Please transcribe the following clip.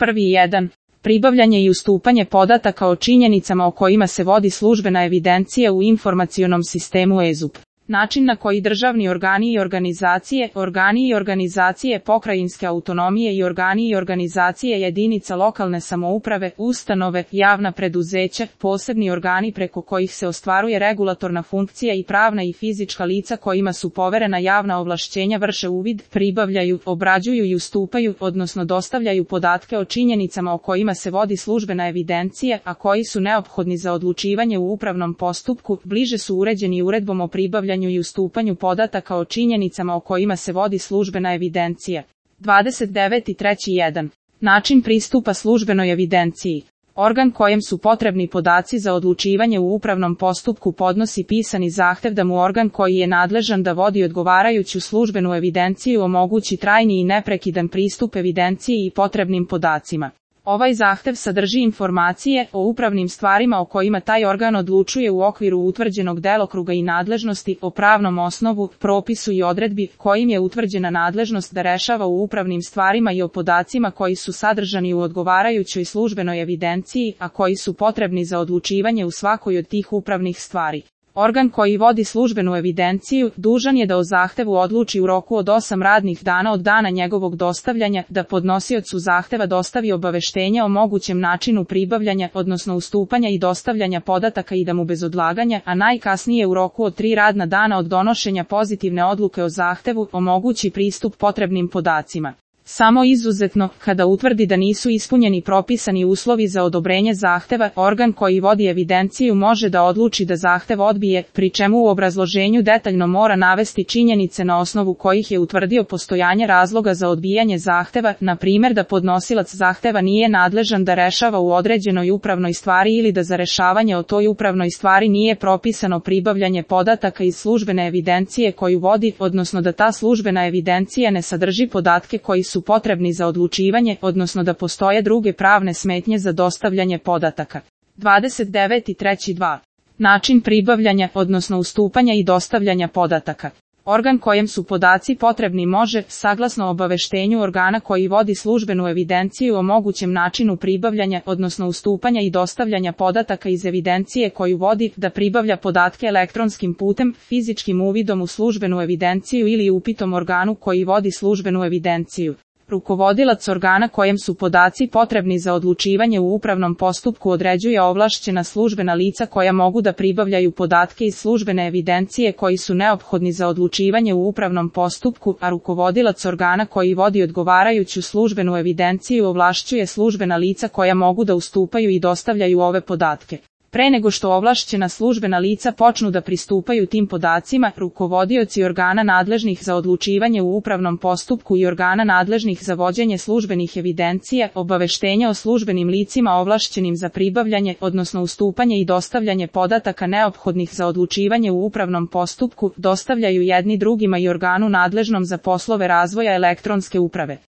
Prvi 1. Pribavljanje i ustupanje podataka o činjenicama o kojima se vodi službena evidencija u informacionom sistemu EZUP. Način na koji državni organi i organizacije pokrajinske autonomije i organi i organizacije jedinica lokalne samouprave, ustanove, javna preduzeća, posebni organi preko kojih se ostvaruje regulatorna funkcija i pravna i fizička lica kojima su poverena javna ovlašćenja vrše uvid, pribavljaju, obrađuju i ustupaju, odnosno dostavljaju podatke o činjenicama o kojima se vodi službena evidencija, a koji su neophodni za odlučivanje u upravnom postupku, bliže su uređeni uredbom o pribavljanju i ustupanju podataka o činjenicama o kojima se vodi službena evidencija. 29.3.1. Način pristupa službenoj evidenciji. Organ kojem su potrebni podaci za odlučivanje u upravnom postupku podnosi pisani zahtev da mu organ koji je nadležan da vodi odgovarajuću službenu evidenciju omogući trajni i neprekidan pristup evidenciji i potrebnim podacima. Ovaj zahtev sadrži informacije o upravnim stvarima o kojima taj organ odlučuje u okviru utvrđenog delokruga i nadležnosti, o pravnom osnovu, propisu i odredbi kojim je utvrđena nadležnost da rešava u upravnim stvarima i o podacima koji su sadržani u odgovarajućoj službenoj evidenciji, a koji su potrebni za odlučivanje u svakoj od tih upravnih stvari. Organ koji vodi službenu evidenciju dužan je da o zahtevu odluči u roku od 8 radnih dana od dana njegovog dostavljanja, da podnosiocu zahteva dostavi obaveštenje o mogućem načinu pribavljanja, odnosno ustupanja i dostavljanja podataka i da mu bez odlaganja, a najkasnije u roku od 3 radna dana od donošenja pozitivne odluke o zahtevu, omogući pristup potrebnim podacima. Samo izuzetno, kada utvrdi da nisu ispunjeni propisani uslovi za odobrenje zahteva, organ koji vodi evidenciju može da odluči da zahtev odbije, pri čemu u obrazloženju detaljno mora navesti činjenice na osnovu kojih je utvrdio postojanje razloga za odbijanje zahteva, na primjer da podnosilac zahteva nije nadležan da rešava u određenoj upravnoj stvari ili da za rešavanje o toj upravnoj stvari nije propisano pribavljanje podataka iz službene evidencije koju vodi, odnosno da ta službena evidencija ne sadrži podatke koji su potrebni za odlučivanje, odnosno da postoje druge pravne smetnje za dostavljanje podataka. 29.3.2. Način pribavljanja, odnosno ustupanja i dostavljanja podataka. Organ kojem su podaci potrebni može, saglasno obaveštenju organa koji vodi službenu evidenciju o mogućem načinu pribavljanja, odnosno ustupanja i dostavljanja podataka iz evidencije koju vodi, da pribavlja podatke elektronskim putem, fizičkim uvidom u službenu evidenciju ili upitom organu koji vodi službenu evidenciju. Rukovodilac organa kojem su podaci potrebni za odlučivanje u upravnom postupku određuje ovlašćena službena lica koja mogu da pribavljaju podatke iz službene evidencije koji su neophodni za odlučivanje u upravnom postupku, a rukovodilac organa koji vodi odgovarajuću službenu evidenciju ovlašćuje službena lica koja mogu da ustupaju i dostavljaju ove podatke. Pre nego što ovlašćena službena lica počnu da pristupaju tim podacima, rukovodioci organa nadležnih za odlučivanje u upravnom postupku i organa nadležnih za vođenje službenih evidencija, obaveštenja o službenim licima ovlašćenim za pribavljanje, odnosno ustupanje i dostavljanje podataka neophodnih za odlučivanje u upravnom postupku, dostavljaju jedni drugima i organu nadležnom za poslove razvoja elektronske uprave.